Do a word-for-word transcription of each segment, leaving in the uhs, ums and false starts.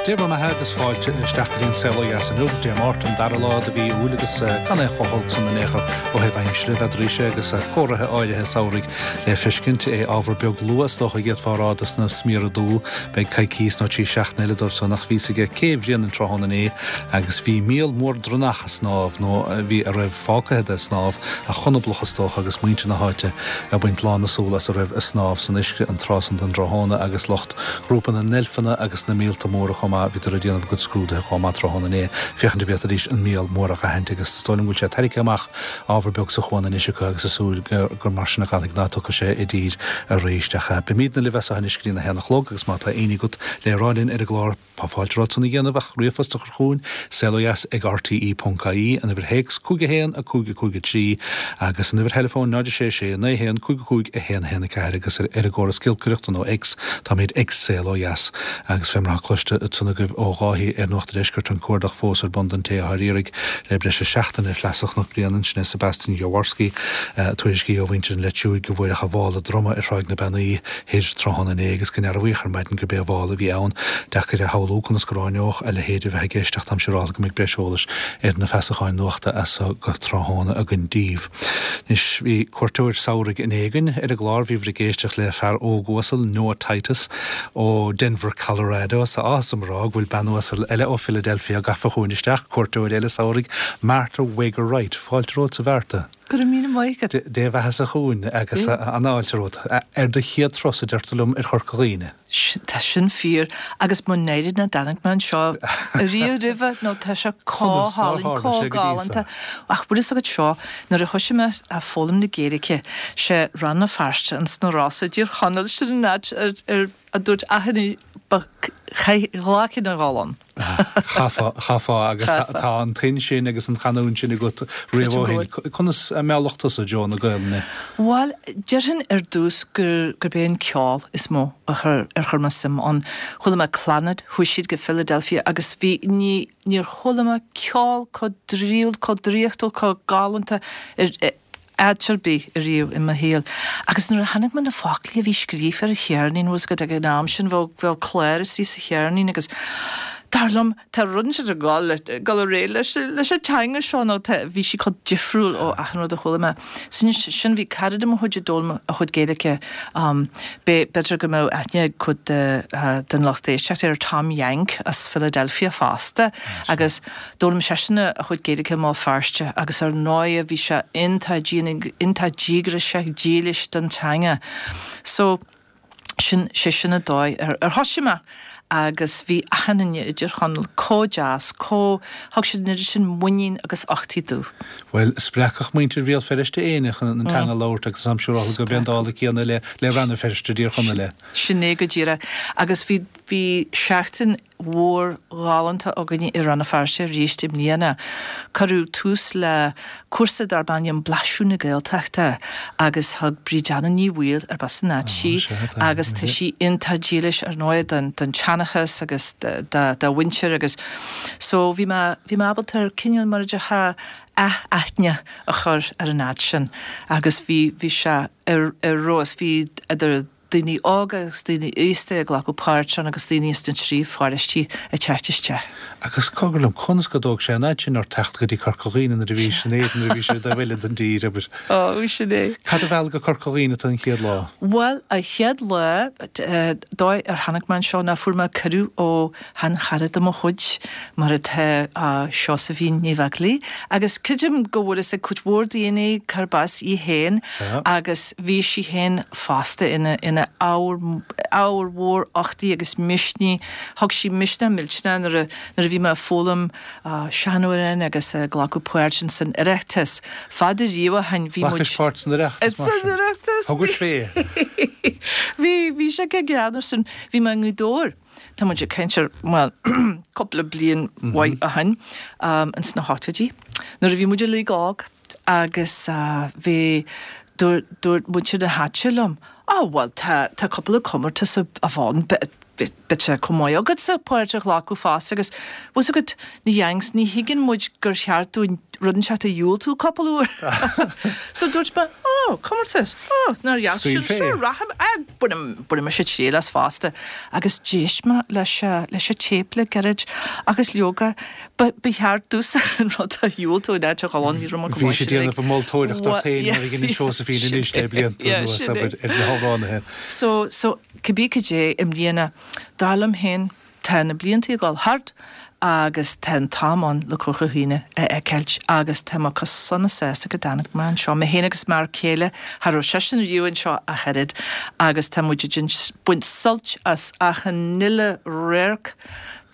Dia bhur mbeatha agus fáilte isteach go dtí an Saol Ó Dheas inniu, Dé Máirt an dara lá de mhí Iúil agus gan é chomh holc san in aon chor ó thaobh aimsire bheadh sé agus comharthaí áirithe samhraidh le feiscint é ábhar beag luath is dócha d'fhéadfá a rá dos na smiora dubha beidh coicís nó trí seachtaine eile dóibh san ach bhí a fhios aige cé Bhrian an tráthnóna inné agus bhí míol mór dronnach ag snámh nó bhí a raibh fágtha de ag snámh a chonablach is dócha agus muintir na háite ag baint lán na súl as a raibh ag snámh san uisce an tráth san den tráthnóna agus lucht ghrúpa na ndeilfeanna agus na míolta móra chomh maith bhíodar ag déanamh a gcuid scrúduithe chomh maith tráthnóna inné féachaint an bhféadfaidís an míol mór a aithint agus is dóigh liom go bhfuil sé tarraingthe amach ábhar beag sa chuan anois acu agus ag súil gur mar sin a ghalfaidh ná tiocfaidh sé i dtír arís ach beimidne libh as anois go dtí a haon a chlog agus má tá aon ní agat le rá linn ar an gclár Tá fáilte romhat san a dhéanamh ach ríomhphost a chur chugainn saolodheas ag RTE ponc ie an uimhir théacs cúig a haon a cúig a cúig a trí agus an uimhir theileafóin náid sé sé naoi haon cúig a cúig a haon a haon a ceathair agus ar ar an gcóras giolcaireachta nó X táimid ag Saol Ó Dheas agus fé mar atá cloiste ansan agaibh ó Dháithí ar Nuacht an Deiscirt an cuardach fós ar bun don té atá ar iarraidh le breis is seachtain ar shleasa Chnoc Bréanainn sin é Sebastian Jaworski tuairiscí ó mhuintir an Leitriúigh go bhfuair a mhála droma ar Thráigh na Beannaí thoir tráthnóna inné agus go ndearbhaíodh ar maidin gurb é a mhála a bhí ann deacair a shamhlú conas go ráineodh a leithéid a bheith i gceist ach táim siúráilte go mbeidh breis eolais ar na feasacháin nuachta as so go tráthnóna againn daoibh. Anois bhí cuairteoir samhraidh inné againn ar an gclár bhíobhair ag éisteacht le fear óg uasal Noah Titus ó Denver, Colorado is áthas orm a rá go bhfuil bean uasal eile ó Philadelphia gafa chugainn isteach cuairteoir eile samhraidh Martha Wager Wright fáilte romhat a Mhartha. Go raibh míle maith agat. Dé do bheathasa chugainn agus an-fháilte romhat ar do chéad turas a deir tú liom ar Chorca Dhuibhne. Tá sin fíor agus mo náire nach dtáinig mé anseo riamh roimhe nó tá sé chomh hálainn chomh galánta ach bhfuil a fhios agat seo nuair a thosaigh mé ag foghlaim na Gaeilge sé Rann na Feirste ins na Rosa i dTír Chonaill sin an áit ar ar a dúirt achan ba ghlacfainn a dhul ann. Chaithfeá chaithfeá agus tá an tuin sin agus an chanúint sin agat riamh ó shin. Conas a mealladh tusa i dtreo na Gaelainne? Bhuel, déarfainn ar dtús gur gurb é an ceol is mó a chur ar chuir mé suim ann. Chuala mé Clannad, chuaigh siad go Philadelphia agus bhí ní níor chuala mé ceol chomh draíúil, chomh draíochtúil, chomh galánta ar áit ar bith ariamh i mo shaol. Agus nuair a chonaic mé na foclaí a bhí scríofa ar an cheirnín was go ag an am sin bheadh bheadh clár istigh sa cheirnín agus dar liom tá rud inteacht ag dul le dul ar aghaidh leis leis an teanga seo nó tá bhí sí chomh difriúil ó achan rud a chuala mé. Sin sin bhí cara de mo chuid ag d'fhoghlaim a chuid Gaeilge um, b'fhéidir go mbeadh aithne ag cuid de, uh, den lucht éisteachta ar Tom Yank as Philadelphia fosta agus d'fhoghlaim seisean a chuid Gaeilge i mBéal Feirste agus ar ndóigh bhí sé iontach iontach díograiseach dílis don teanga. So sin sé sin an dóigh ar ar thosaigh mé agus bhí achan duine i dTír Chonaill chomh deas, chomh thug siad an oiread sin muinín agus uchtaí domh. Well spreagfadh muintir Bhéal Feirste éinne chun an teanga a labhairt agus táim siúráilte gurb é an dála céanna le le Rann na Feirste i dTír Chonaill. Sin é go díreach agus bhí bhí seachtain mhór ghalánta againne i Rann na Feirste arís i mbliana. Cuireadh tús le cúrsa darb ainm Blaiseadh na Gaeltachta agus thug Bríd Anna Ní Bhaoill arb as an áit sí agus tá sí iontach dílis ar ndóigh don don tseanchas agus dá mhuintir agus so bhí mé bhí mé ábalta ar cineál mar a déarfá ath-aithne a chur ar an áit sin agus bhí bhí sé ar ar fheabhas bhí idir daoine óga agus daoine aosta ag glacadh páirt ann agus daoine as na trí pharóistí ag teacht isteach. Agus cogar liom conas go dtóg sé an fhad sin ort teacht go dtí Corca Dhuibhne nuair a bhís in Éirinn nuair a bhí sé i dtaobh eile den dtír abair. Ó sin é. Cad a mheall go Corca Dhuibhne tú an chéad lá? Bhuel an chéad lá dóigh ar tháinig mé anseo ná fuair mé cuireadh ó sheanchara de mo chuid mar atá Seosaimhín Ní Bheaglaoich agus creidim go bhfuil fhios ag cuid mhór daoine cárb as í féin agus bhí sí féin fosta ina ina ábhar ábhar mhór uchtaí agus misnigh thug sí misneach millteanach nuair a nuair a bhí mé ag foghlaim seanamhráin agus ag glacadh páirt san Oireachtas. Fada riamh ó shin bhí muid Ghlacais páirt san Oireachtas mar San sin. Oireachtas Thugais fé. Bhí bhí sé go greannmhar sin bhí mé i nGaoth Dobhair. Tá muid ag caint ar bhuel cúpla bliain mhaith ó shin ins na hochtóidí. Nuair a bhí muid uilig óg agus bhí dúirt dúirt muintir na háite liom Á bhuel tá tá cúpla comórtas a bheith ann beidh sé chomh maith agatsa páirt a ghlacadh fosta agus bhfuil fhios agat na Yanks ní thuigeann muid gur cheart dúinn rud inteacht a dhiúltú cúpla uair. So dúirt mé á Ó, comórtas, ó, nár dheas sin, sure, rachaidh, bainfidh mise triail as fosta. Agus d'éist mé leis leis an téip le gairid agus leoga, ba ba cheart domhsa an rud a dhiúltú in áit a dhul ann, ní raibh mé go maith. Bhí sí ag déanamh moltóireacht ort féin mar a dhéanann Seosaimhín anois le blianta anuas, abair, ar na hamhránaithe. So, so, cibé cad é, i mbliana, dar liom féin, Tá na blianta ag dul thart agus tá an t-am ann le Corca Dhuibhne a fheiceáilt agus tá mé chomh sona sásta go dtáinig mé anseo, mé féin agus m'fhear céile, cha raibh seisean riamh anseo ach oiread agus tá muid ag baint suilt as achan uile radharc,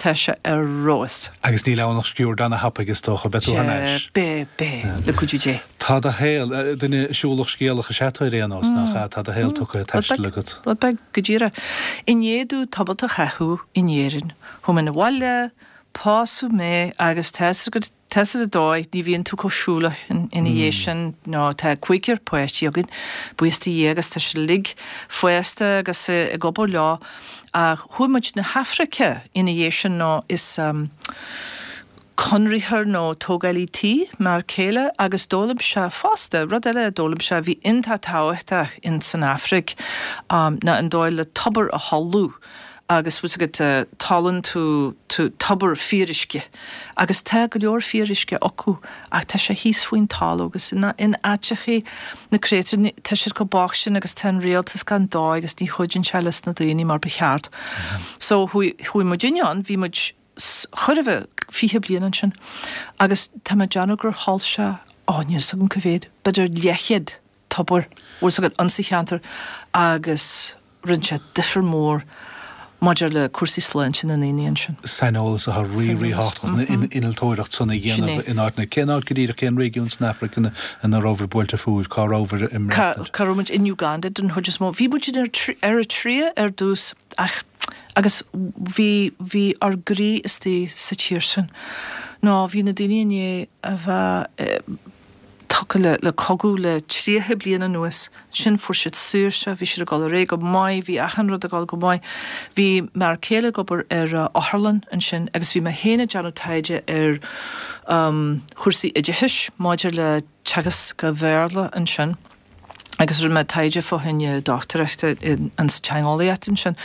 tá sé ar fheabhas. Agus níl ann ach sciuird ana-thapaidh is dócha, beidh tú thar n-ais. Beidh, beidh, le cuidiú Dé. Tá do shaol, duine siúlach scéalach is ea tú ar aon nós, nach ea? Tá do shaol tugtha ag taisteal agat. Rud beag, go díreach. I ndiaidh domh tamalt a chaitheamh in Éirinn, chuaigh mé 'na bhaile, pósadh mé agus tá 'fhios agat, tá 'fhios agat an dóigh, ní bhíonn tú chomh siúlach ina dhiaidh sin nó tá cúigear páistí againn, buíochas do Dhia agus tá siad uilig fásta agus ag obair leo ach chuaigh muid 'na hAfraice ina dhiaidh sin nó is conraitheoir nó tógálaí tí m'fhear céile agus d'fhoghlaim sé fosta, rud eile a d'fhoghlaim sé a bhí iontach tábhachtach in san Afraic ná an dóigh le tobar a tholú agus bhfuil 's agat tolann tú tú tobar fíoruisce agus tá go leor fíoruisce acu ach tá sé thíos faoin talamh agus in in áiteachaí na créatúir tá siad chomh bocht sin agus tá an rialtas gan dóigh agus ní chuidíonn sé leis na daoine mar ba cheart. So chuaigh chuaigh muidinne ann, bhí muid chóir a bheith fiche bliain ansin agus tá mé ag déanamh gur thol sé, ó níl 's agam cá mhéad, b'fhéidir leathchéad tobar, bhfuil 's agat, insa cheantar agus rinne sé difear mór maidir le cúrsaí sláinte na ndaoine ansin. Saineolas atá rí ríthábhachtach an innealtóireacht san a dhéanamh in áiteanna. Cén áit go díreach, cén réigiún san Afraic ina rabhabhair buailte fúibh, cá rabhabhair ag maireachtaint? Cá raibh muid? In Uganda den chuid is mó. Bhí muid in Eritrea ar dtús ach Agus bhí, bhí ár gcroí istigh sa tír sin. Nó bhí na daoine i ndiaidh a bheith tugtha le, le cogadh le tríocha bliain anuas. Ansin fuair siad saoirse, bhí siad ag dul ar aghaidh go maith, bhí achan rud ag dul go maith. Bhí m'fhear céile ag obair ar otharlann ansin agus bhí mé féin ag déanamh taighde ar chúrsaí oideachais maidir le teagasc an Bhéarla ansin. Agus rinne mé taighde fá choinne dochtúireachta insa teangeolaíocht ansin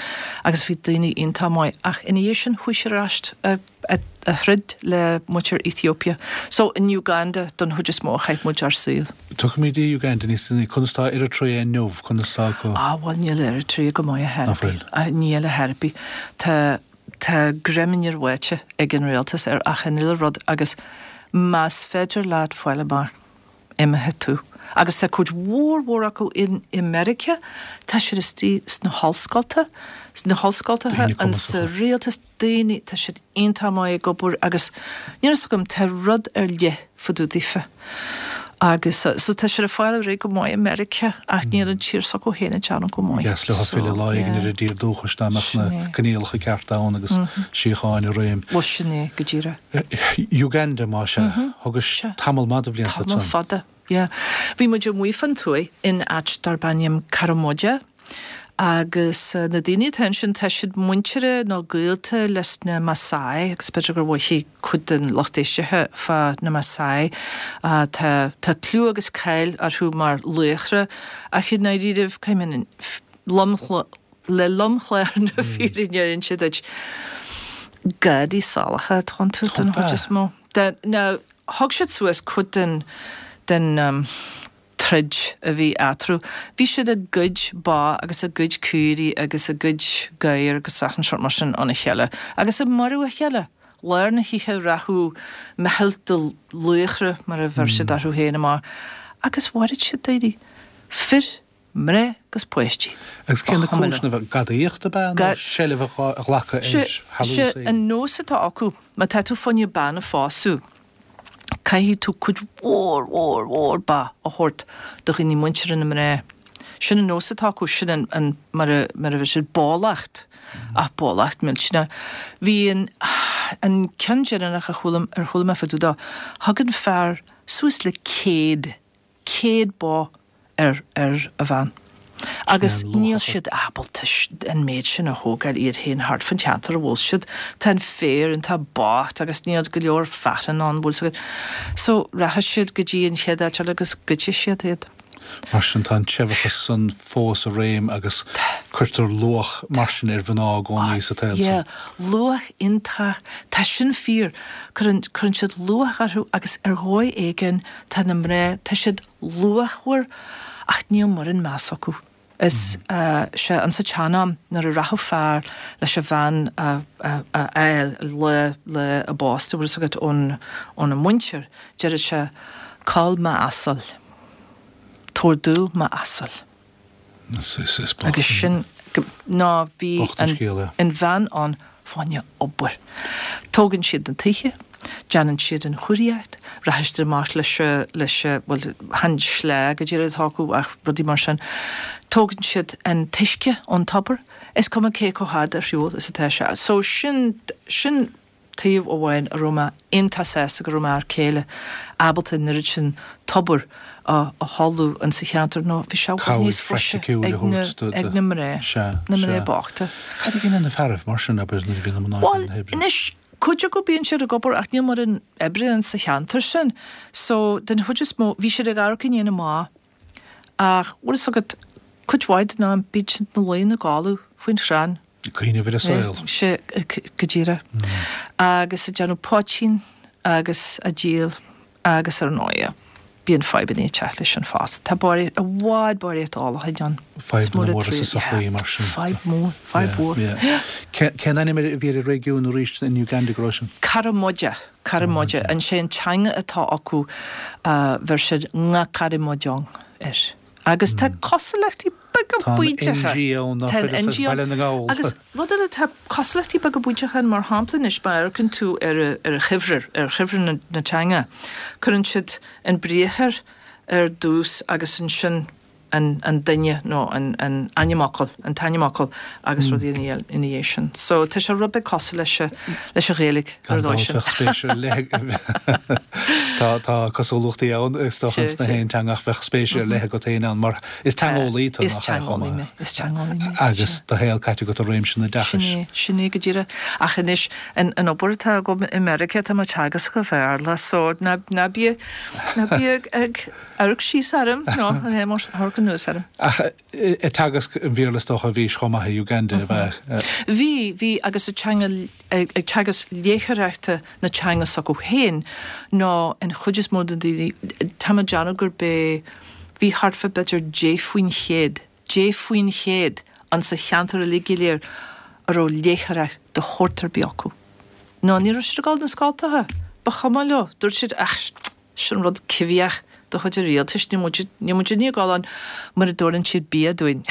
agus bhí daoine iontach maith ach ina dhiaidh sin chuaigh siad ar ais a throid le muintir Ethiopia. So in Uganda don chuid is mó a chaith muid ár saol. Tiocfaimid i Uganda níos déanaí. Conas tá Eritrea inniu? Conas tá go. Ah bhuel níl Eritrea go maith ar chor ar bith. Níl ar chor ar bith. Tá tá greim neamhbháite ag an rialtas ar achan uile rud agus más féidir leat fáil amach imeoidh tú. Agus tá cuid mhór mhór acu in i Meiriceá, tá siad istigh sna hollscolta, sna hollscoltacha, Daoine sa cumasacha. rialtas, daoine, tá siad iontach maith ag obair agus níl a fhios agam, tá rud ar leith fá dtaobh daofa. Agus so tá siad ag fáil ar aghaidh go maith i Meiriceá ach níl an tír s'acu féin ag déanamh go maith. Ba dheas leo So, filleadh lá éigin yeah. ar a dtír dúchais dá mbeadh Sin na é. coinníollacha cearta ann agus síocháin i réim. Bhuel sin é, go díreach. Uganda, más ea. Thugais tamall maith de bhlianta Tamall ansan. fada, yeah. Bhí muid amuigh fán tuaith in áit darb ainm Karamoja agus na daoine atá ansin tá siad muinteartha nó gaolta leis na Maasai agus b'fhéidir gur mhothaigh cuid den lucht éisteachta fá na Maasai. Tá tá clú agus cáil orthu mar laochra ach i ndáiríribh caithfidh mé lom le lomchlár na fírinne a inse duit, gadaí salacha atá iontu den chuid is mó. Now, thug siad suas cuid den den troid a bhí eatarthu. Bhí siad ag goid ba agus ag goid caoirigh agus ag goid gadhar agus achan sórt mar sin óna chéile agus ag marú a chéile. Lár na hoíche rachadh meitheal de laochra, mar a bheir siad orthu féin, amach agus mharaigh siad daoine, fir, mná agus páistí. Agus cé na Ba chuma leo. cúiseanna? Gadaíocht ab ea nó seilbh a ghlacadh ar thalamh Sé is éigin? an nós atá acu, má tá tú fá choinne bean a phósadh, caithfidh tú cuid mhór mhór mhór ba a thabhairt do dhaoine muinteartha na mná. Sin an nós atá acu, sin an, an, mar a, mar a bheir siad bólacht, ach bólacht millteanach. Bhí an, an ceann deireanach a chuala, ar chuala mé fá dtaobh dó, thug an fear suas le céad, céad bó ar ar a bhean. Agus níl siad ábalta an méid sin a thógáil iad féin thart fán cheantar a bhfuil siad. Tá an féar iontach bocht agus níl go leor fearann ann, bhfuil 's agat. So rachaidh siad go dtí an chéad áit eile agus goidfidh siad iad. Mar sin tá an seibheachas san fós i réim agus cuirtear luach mar sin ar mhná i gcónaí sa tsaol Yeah, luach iontach, tá sin fíor, cuireann, cuireann siad luach orthu agus ar dhóigh éigin tá na mná, tá siad luachmhar ach níl mórán meas acu. Is sea, insa tsean-am nuair a rachadh fear leis an bhean a a fháil lá lá a bpósta, bhfuil fhios agat, ón óna muintir, deireadh sé, Cull m'asal. Tabhair domh m'asal. Agus sin, ná bhí an bhean ann fá choinne obair. Tógann siad na tithe, déanann siad an churaíocht, rachaidh siad amach leis, leis, bhuel, chan sleá go díreach atá acu ach rudaí mar sin. Tógann siad an t-uisce ón tobar, is cuma cé chomh fada ar shiúl is atá sé. So sin, sin taobh amháin a raibh mé iontach sásta go raibh m'fhear céile ábalta an oiread sin tobar a tholú insa cheantar nó bhí sé i bhfad níos fusa ag na ag na mná, na mná bochta. Cad a dhéanann na fearaibh mar sin, abair, nuair a bhíonn na mná ag na hoibre? Bhuel, anois, cuid acu bíonn siad ag obair ach níl mórán oibre insa cheantar sin so den chuid is mó bhí siad ag amharc i ndiaidh na mba ach bhfuil fhios agat cuid mhaith den am bíonn siad ina luí ina gcodladh faoin chrann. Ag cuimhneamh ar an saol. Sea, go díreach. Agus ag déanamh poitín agus á díol agus ar ndóigh bíonn fadhbanna ag teacht leis sin fosta. Tá barraíocht, i bhfad barraíocht ólacháin ann. Fadhbanna móra sa sochaí mar sin. Fadhb mhór, fadhb mhór. Cén ainm a bhí ar an réigiún arís in Uganda go raibh sin? Karamoja, Karamoja. An sé an teanga atá acu, bheir siad Ngakarimojong air. Agus tá cosúlachtaí beaga bainteacha. Tá an N G ann, Tá an N G ann. Baile na nGall. Agus rud eile, tá cosúlachtaí beaga bainteacha ann, mar shampla anois, má amharcann tú ar ar chuibhrear, ar chuibhrear na na teanga, cuireann siad an briathar ar dtús agus ansin an an duine nó an an ainmfhocal, an t-ainmfhocal agus rudaí ina ina dhiaidh sin. So tá sé rud beag cosúil leis leis an Ghaeilge ar Gan dhóigh dabht sin. bheadh spéis ar leith Tá tá cosúlachtaí ann is dócha ins na haon teanga ach bheadh spéis ar leith agat féin ann mar is teangeolaí tú Is nach ea chomh teangeolaí maith? mé, is teangeolaí mé, Agus sea. do shaol caite agat i réimse an Sin oideachais. é, sin é go díreach. Ach anois an an obair atá agam i Meiriceá tá mé ag teagasc an Bhéarla so ná ná bí ná bí ag ag amharc síos orm nó amharc anuas orm. Ach ag teagasc an Bhéarla is dócha a bhís chomh maith i Uganda ab ea? Bhí, bhí agus ag teanga, ag teagasc léitheoireachta na teanga s'acu féin nó an chuid is mó de na daoine, tá mé ag déanamh gurb é, bhí thart fá b'fhéidir deich faoin chéad, deich faoin chéad insa cheantar uilig go léir a raibh léitheoireacht de shórt ar bith acu. Nó ní raibh siad ag dul na scoltacha, ba chuma leo, dúirt siad, ach sin rud coimhthíoch de chuid an rialtais, níl muid, níl muid ag dul ann mura dtabharann siad bia dúinn.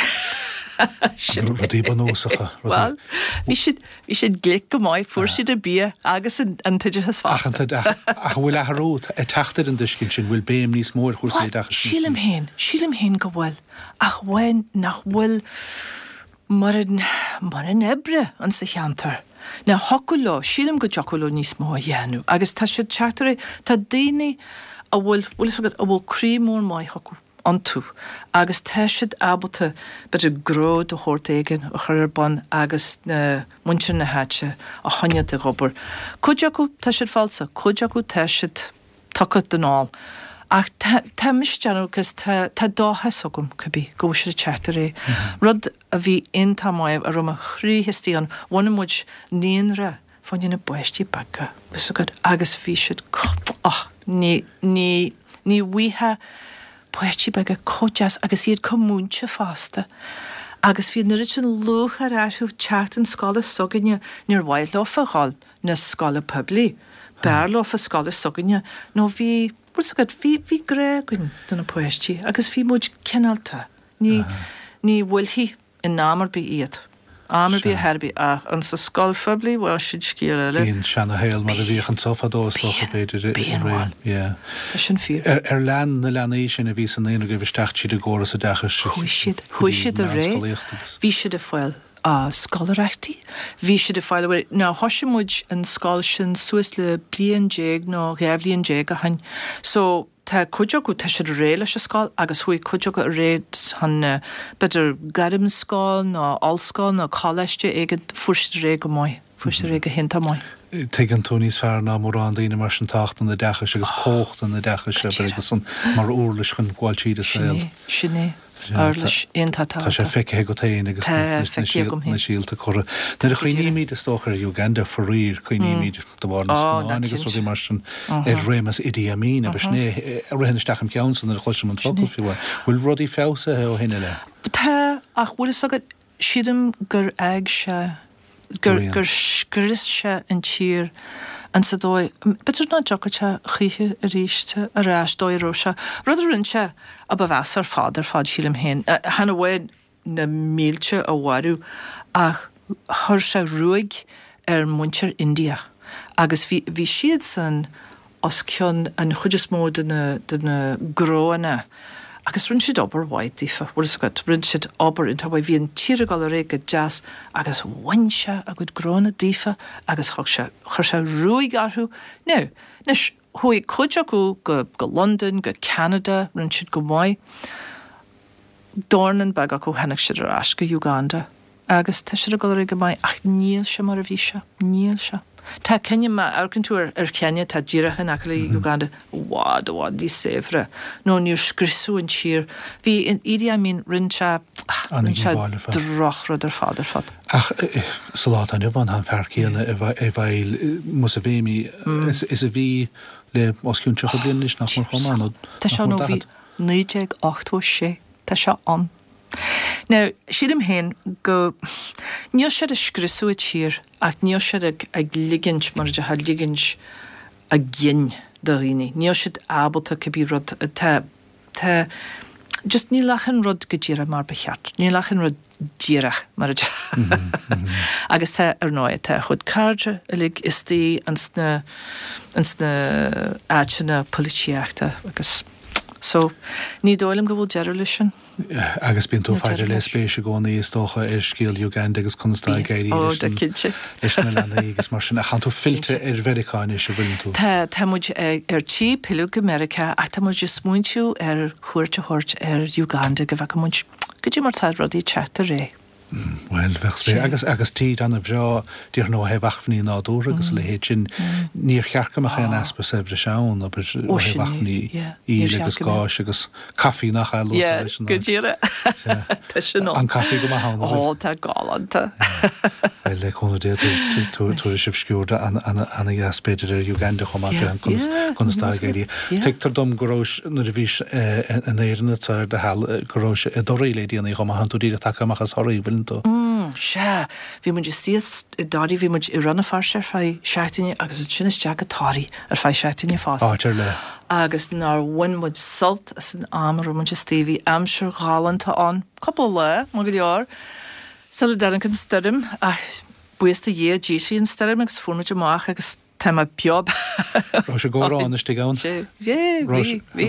Sin Rudaí bunúsacha, rudaí. Bhuel, bhí siad, bhí siad glic go maith, fuair siad an bia agus an, an t-oideachas Ach an fosta. t-oideachas, ach an bhfuil athrú ag teacht ar an dtuiscint sin, bhfuil béim níos mó ar chúrsaí Bhuel, oideachais níos sílim mó? féin, sílim féin go bhfuil, ach amháin nach bhfuil mórán, mórán oibre insa cheantar. Now thiocfadh leo, sílim go dtiocfadh leo níos mó a dhéanamh agus tá siad teacht ar aghaidh, tá daoine a bhfuil, bhfuil fhios agat, a bhfuil croí mór maith acu iontu agus tá siad ábalta b'fhéidir gnó de shórt éigin a chur ar bun agus na muintir na háite a choinneáilt ag obair. Cuid acu tá siad falsa, cuid acu tá siad tugtha don ól. Ach tá, tá mise ag déanamh agus tá, tá dóchas agam, cibé, go bhfuil siad ag teacht ar aghaidh. Rud a bhí iontach maith, a raibh mo chroí istigh ann, bhunaigh muid naíonra fá choinne na bpáistí beaga, bhfuil fhios agat, agus bhí siad, och, ní, ní, ní bhfaighfeá páistí beaga chomh deas agus iad chomh múinte fosta. Agus bhí an oiread sin lúcháir orthu teacht 'on scoile s'againne, níor mhaith leofa dhul 'na scoile poiblí, b'fhearr leofa scoile s'againne nó bhí, bhfuil fhios agat, bhí, bhí grá againn do na páistí agus bhí muid cineálta, ní, ní bhuailfí in am ar bith iad, am ar bith ar chor ar bith ach insa scoil phoiblí, bhuel, sin scéal eile. Bhí an seana-shaol mar a bhíodh anso fadó is dócha, b'fhéidir, i Bíonn, réim, bhuel, yeah. tá sin fíor. Ar, ar lean na leanaí sin a bhí sa naíonra agaibh isteach tríd an gcóras oideachais Chuaigh siad, go chuaigh dtí siad ar aghaidh, meánscolaíocht agus. bhí siad ag fáil scoláireachtaí, bhí siad ag fáil, bhuel, now thoisigh muid an scoil sin suas le bliain déag nó dhá bhliain déag ó shin so tá cuid acu, tá siad réidh leis an scoil agus chuaigh cuid acu ar aghaidh chun b'fhéidir gairmscoil nó ollscoil nó coláiste éigin, fuair siad ar aghaidh go maith, fuair siad ar aghaidh go hiontach maith. Tuigeann tú níos fearr ná mórán daoine mar sin tábhacht an oideachais agus cumhacht an oideachais agus an mar uirlis chun gabháil tríd an saol. Sin é, uirlis iontach Tá sé feicthe agat féin agus na síolta curtha. Nuair a chuimhnímid is dócha ar Uganda faraor cuimhnímid de bharr na scannáin agus rudaí mar sin ar réimeas Idi Amin agus sin é a ritheann isteach im cheannsa nuair a chloisim an focal fiú. Bhfuil rudaí feabhsaithe ó shin i leith? Tá ach bhfuil fhios agat sílim gur fhág sé gur gur scrios sé an tír an sa dóigh b'fhéidir nach dtiocfadh sé choíche arís ar ais dóigh a raibh sé. Rud a rinne sé a ba mheasa ar fad ar fad sílim féin. Chan amháin na mílte a mharú ach chuir sé ruaig ar muintir India agus bhí bhí siadsan os cionn an chuid is mó de na de na gnóanna agus rinne siad obair mhaith daofa, bhfuil fhios agat, rinne siad obair iontach mhaith, bhí an tír ag dul ar aghaidh go deas agus bhain sé a gcuid gnóanna daofa agus thug sé, chuir sé ruaig orthu. Now, anois, chuaigh cuid acu go, go Londain, go Ceanada, rinne siad go maith. Dornán beag acu, tháinig siad ar ais go Uganda. Agus tá siad ag dul ar aghaidh go maith, ach níl sé mar a bhí sé. Níl sé. Tá Kenya, má amharcann tú ar ar Kenya, tá díreach in aice le Uganda, i bhfad, i bhfad níos saibhre. Nó níor scriosadh an tír. Bhí Idi Amin, rinne sé, rinne sé drochrud ar fad, ar fad. Ach sa lá atá inniu ann, tá an fear céanna i bhfeighil Museveni is a bhí le os cionn tríocha bliain anois, nach mór chomh maith, nó Tá sé ann ó bhí naoi déag ochtó a sé. Tá sé ann. Now, sílim féin go, níl siad ag scriosadh an tír ach níl siad ag, ag ligint, mar a déarfá, ligint a gcinn do dhaoine. Níl siad ábalta cibé rud, tá, tá, just níl achan rud go díreach mar ba cheart. Níl achan rud díreach mar a déarfá. Agus tá, ar ndóigh, tá a chuid cairde uilig istigh ins na, ins na áiteanna polaitíochta agus So, ní dóigh liom go bhfuil deireadh leis sin. Agus bíonn tú ag faire le spéis i gcónaí, is dócha, ar scéal Uganda agus conas tá ag éirí leis an, leis na leanaí agus mar sin. Ach tánn tú fillte ar Mheiriceá anois, an bhfuileann tú? Tá, tá muid ar tí pilleadh go Meiriceá ach tá muid ag smaointiú ar chuairt a thabhairt ar Uganda go bhfeicfidh muid goidé mar tá rudaí ag teacht ar aghaidh. Bhuel, bheadh spéis. Agus, agus tír ana-bhreá, déarfainn ó thaobh acmhainní nádúrtha agus a leithéid sin. Níor cheart go mbeadh aon easpa saibhris ann, abair, ó thaobh acmhainní íle agus gáis agus caife nach ea, luaitear leis an Go díreach. Tá sin ann. An caife go maith ann, an bhfuil? Ó, tá galánta. Bhuel, le cúnamh Dé, tabharfaidh sibh sciuird ana-dheas, b'fhéidir, ar Uganda chomh maith, féachaint conas, conas tá ag éirí. Tuigtear dom go raibh, nuair a bhís in Éirinn ar do sheal, go raibh i dToraí le déanaí chomh maith, tánn tú díreach tagtha amach as Thoraí, bhfuileann tú? Mm, sea. Bhí muid istigh i dToraí, bhí muid i Rann na Feirste ar feadh seachtaine agus ansin isteach go Toraí ar feadh seachtaine fosta. Áit ar leith. Agus nár bhain muid sult as an am a raibh muid istigh, bhí aimsir ghalánta ann, cúpla lá, maith go leor, sula dtáinig an stoirm, ach buíochas do Dhia, d'éisigh an stoirm agus fuair muid amach agus Tá mé beo. Raibh sé ag amhrán istigh ann? Sé, bhí, bhí.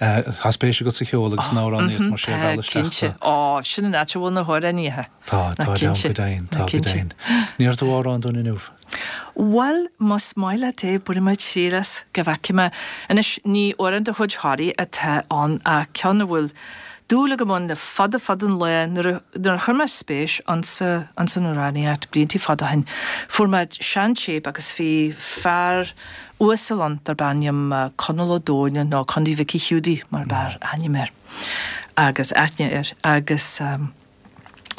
Tá spéis agat sa cheol agus san amhránaíocht mar sin a mheall isteach Cinnte. Ó, sin an áit a bhfuil na hamhránaithe. Tá, tá ann go deimhin, tá go deimhin. An ndéarfaidh tú amhrán dúinn inniu? Bhuel, más maith leat é, bainfidh mé triail as, go bhfeicfidh mé. Anois, ní amhrán de chuid Thoraí atá ann ach ceann a bhfuil dúil agam ann le fada fada an lá. Nuair a nuair a chuir mé spéis ionsa ins an amhránaíocht blianta fada ó shin, fuair mé seantéip agus bhí fear uasal ann darb ainm Conall Ó Dónaill nó Condaí Mhicí Hiúdaí mar b'fhearr ainm air agus aithne air agus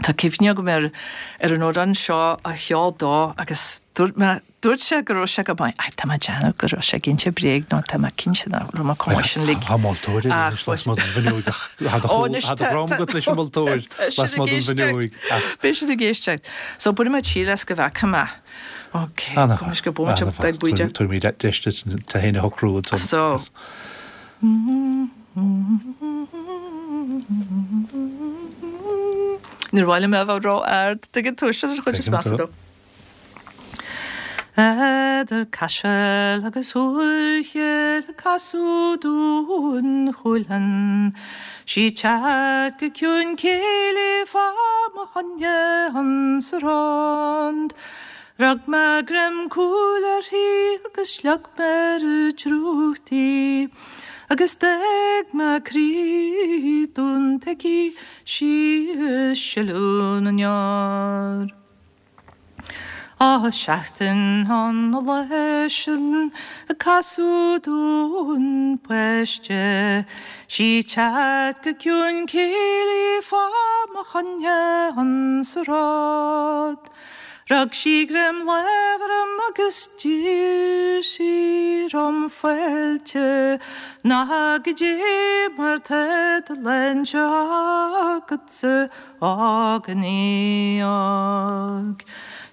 tá cuimhne agam ar ar an amhrán seo a cheol dó agus dúirt mé Dúirt sé go raibh sé go maith. Ach tá mé ag déanamh go raibh sé ag inse bréag nó tá mé cinnte nach raibh mé chomh maith sin uilig. Tá moltóir anois lasmuigh den bhfuinneoig ach tá do dhroim agat leis an moltóir lasmuigh den bhfuinneoig ach. Beidh siad ag éisteacht. So bainfidh mé triail as go bhfeicfidh mé. Ok, gabh mo leithscéal bomaite beag bídeach. Tabharfaimid deis duit tú féin a shocrú ansan. So. Níor mhaith liom é a bheith ró-ard, tuigeann tú, sin an chuid is measa dó. Eadar Caiseal agus Úirchill casadh Dún Chualann 'Sí teacht go ciúin céillí fá mo choinne ins a rond. Rug mé greim cúil uirthi agus shlog mé ar an drúcht í agus d'fhág mé croí dúnta aici 'sí ag sileadh na ndeor. Á seachtain an leis a casadh dún páiste, Sí teacht go ciúin céilí fá mo choinne an sráid. Rug sí greim láimh orm agus d'iarr sí orm fáilte, Ná goidé mar tá do léinte agatsa a ghníomh.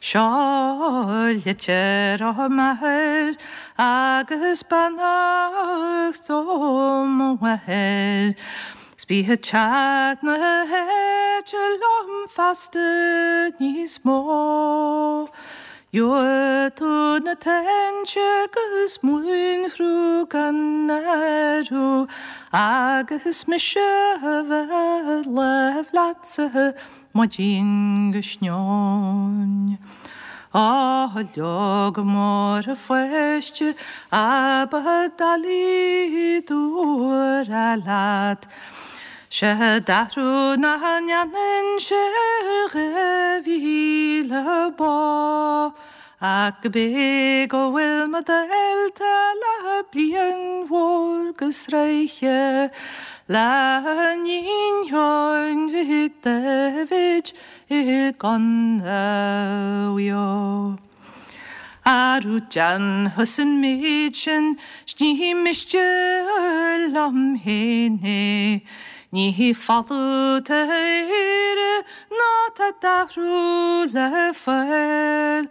Seo litir ó m'athair agus beannacht ó mo mháthair. 'S bí ag teacht na háite liom feasta níos mó. Gheobhaidh tú na tinte agus móinchruth gan áireamh agus mise a bheith láimh leatsa maidin go sneoin. Á leog mór a pháiste a ba doiligh dúra leat. Sé d'athrú nach ndéanann sé ar dhá mhíle bá, ach go bé go bhfuil mo dhalta le bliain mhór go sroiche, le hiníon Sheáin Mhic Daibhéid i gContae Mhaigh Eo. Arú déan thusa an méid sin 's ní miste liom féin é. Ní folamh tá Éire ná tá d'athrú le fáil.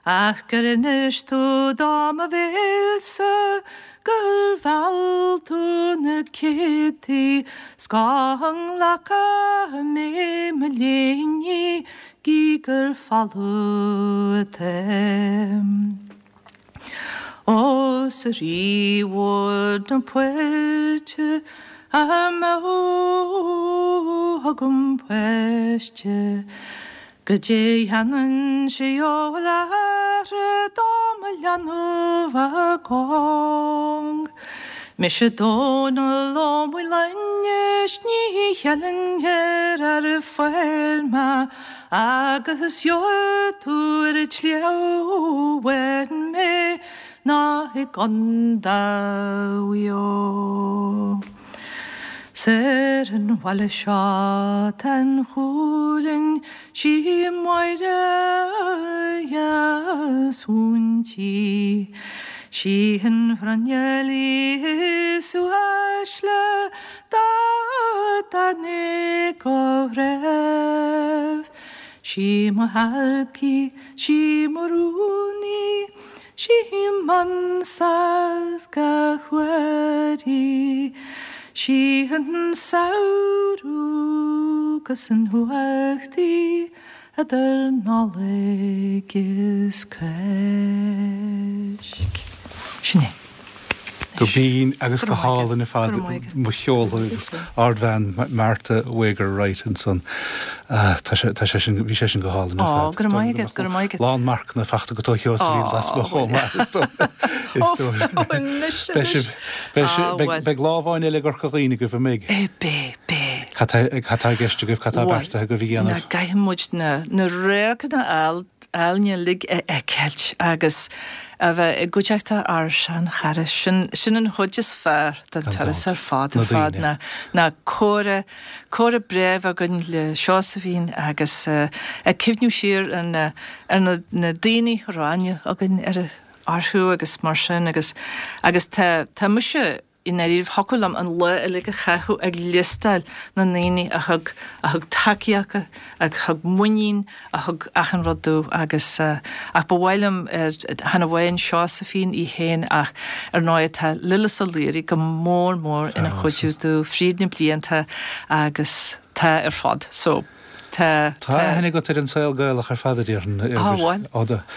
Ach gur inis tú do mo bhéalsa gur mheall tú na céadtaí 's go nglacfaidh mé mo léine gí gur folamh atáim. Ó 's a Rí mhór na poirte a mbeadh agam páiste, Goidé dhéanfainn sé leathra dá mo leanbh a gcong. Mise Dónall Ó Maoileoin is ní cheileann ar ar fáil mé agus gheobhaidh tú ar an tsliabh amháin mé ná i gContae Mhaigh Eo. 'S ar an bhaile seo tá an chulainn sí Máire dheas mhúinte, Sí an bhruinneall is uaisle dá dtáinig ó threibh. Sí mo thaircí, sí mo rúnaí, sí m'ansas gach uair í. Sí an samhradh agus an fhuacht í idir Nollaig is Cáisc. Sin é. Go binn agus go hálainn ar fad mo cheol agus ardbhean Martha Wager Wright ansan. Tá sé sin bhí sé sin go hálainn ar fad. Go raibh maith agat, go raibh maith agat. Lán marcanna faighte agat ó Sheosaimhín Lasmuigh chomh maith. Beidh lá amháin eile i gCorca Dhuibhne agaibh an mbeidh? Beidh, beidh. Cad tá i gceist agaibh, cad tá beartaithe agaibh a dhéanamh? Ná caithfidh muid na radharcanna álainne uilig a fheiceáilt agus a bheith i gcuideachta ár seanchara. Sin sin an chuid is fearr den turas ar fad ar fad ná ná comhrá comhrá breá a bheith againn le Seosaimhín agus ag cuimhniú siar ar na ar na na daoine a raibh aithne againn ar orthu agus mar sin agus agus tá tá mise i ndáiríre thiocfadh liom an lá uilig a chaitheamh ag liostáil na ndaoine a thug a thug tacaíocht, a thug muinín, a thug achan rud domh agus ach ba mhaith liom chan amháin Seosaimhín í féin ach ar ndóigh tá Lillis Ó Laoire go mór mór ina chuidiú domh fríd na blianta agus tá ar fad so tá Tá aithne agat ar an saol Gaelach ar fad a déarfainn. Á bhuel,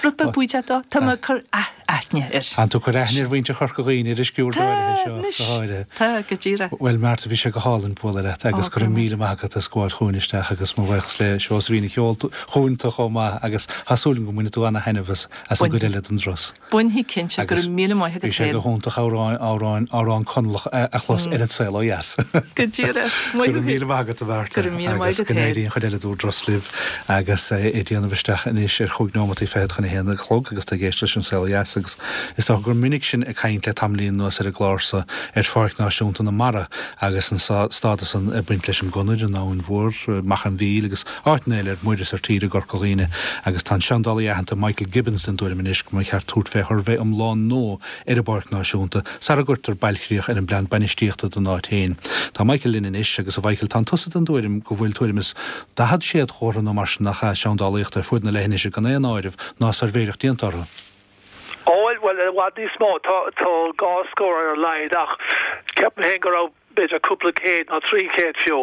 rud beag buídeach dó. Tá mé ag cur aithne aithne air. Tá tú ag cur aithne ar mhuintir Chorca Dhuibhne ar an sciúrd áirithe seo, go háirithe. Tá, go díreach. Bhuel, Martha, bhí sé go hálainn bualadh leat agus go raibh míle maith agat as gabháil chugainn isteach agus mo bhuíochas le Seosaimhín a sheol chugainn tú chomh maith agus tá súil agam go mbainfidh tú ana-thaitneamh as as an gcuid eile den dturas. Bainfidh cinnte, go raibh míle maith agat Bhí sé go hiontach amhrán amhrán amhrán Conallach a chlos ar an saol ó dheas. Go díreach. Go raibh míle maith agat a Mhartha. Go raibh míle maith Agus agat go féin. n-éirí an chuid eile den dturas libh agus é ag déanamh isteach anois ar chúig nóimeataí fichead chun a haon a chlog agus tá ag éisteacht leis an saol ó dheas agus is dócha gur minic sinn ag caint le tamaillín anuas ar an gclár seo ar Pháirc Náisiúnta na Mara agus an stádas san ag baint leis an gconair, an Abhainn Mhór, Machaire Mhíl agus áiteanna eile ar muir is ar tír i gCorca Dhuibhne agus tá an seandálaí aitheanta Michael Gibbons den tuairim anois go mba cheart tabhairt fé shuirbhé iomlán nua ar an bPáirc Náisiúnta sara gcuirtear bailchríoch ar an bplean bainistíochta don áit féin. Tá Michael linn anois agus a Mhichael tá tusa den tuairim go bhfuil tuairim is daichead séadchomhartha nó mar sin nach ea seandálaíochta ar fud na leithinise gan aon áireamh ná suirbhéireacht déanta orthu. Ó well i bhfad níos mó tá tá dhá scór ar a laghad ach ceapaim féin go raibh b'fhéidir cúpla céad nó trí chéad fiú